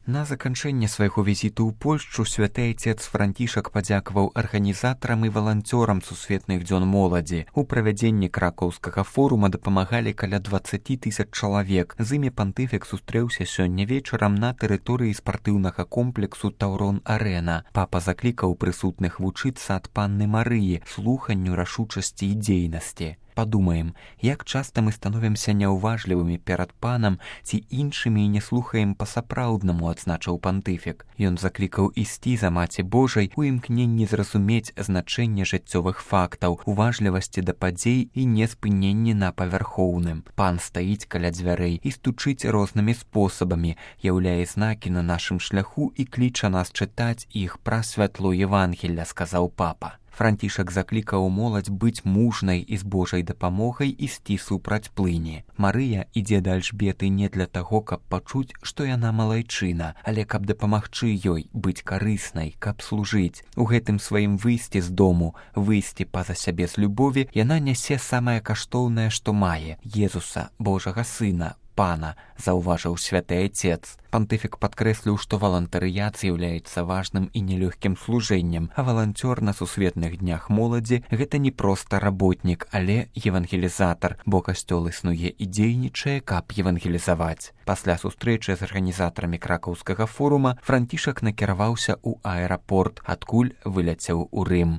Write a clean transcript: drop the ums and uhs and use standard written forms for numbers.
На заканчэнне свайго візіту ў Польшчу святы айцец Францішак падзякаваў арганізатарам і валанцёрам сусветных дзён моладзі. У правядзенні кракаўскага форума дапамагалі каля 20 000 чалавек. З імі пантыфік сустрэўся сёння вечарам на тэрыторыі спартыўнага комплексу «Таўрон-Арэна». Папа заклікаў прысутных вучыцца ад панны Марыі, слуханню, рашучасці і дзейнасці. Падумаем, як часта мы становімся няўважлівымі перад панам ці іншымі і не слухаем па-сапраўднаму, адзначыў пантыфік. Ён заклікаў ісці за Маці Божай у імкненні зразумець значэнне жыццёвых фактаў, уважлівасці да падзей і неспыненні на павярхоўным. Пан стаіць каля дзвярэй і стучыць рознымі спосабамі, яўляе знакі на нашым шляху і кліча нас чытаць іх праз святло Евангелля, сказаў папа. Францішак заклікаў моладзь быць мужнай і з Божай дапамогай ісці супраць плыні. Марыя ідзе да Альжбеты не для таго, каб пачуць, што яна малайчына, але каб дапамагчы ёй быць карыснай, каб служыць. У гэтым сваім выйсці з дому, выйсці па-за сябе з любові, яна нясе самае каштоўнае, што мае – Езуса, Божага Сына, Пана, заўважыў святы айцец. Пантыфік падкрэсліў, што валантарыят з'яўляецца важным і нелёгкім служэннем, а валанцёр на сусветных днях моладзі – гэта не проста работнік, але евангелізатар, бо касцёл існуе і дзейнічае, каб евангелізаваць. Пасля сустрэчы з арганізатарамі кракаўскага форума Францішак накіраваўся ў аэрапорт, адкуль выляцеў у Рым.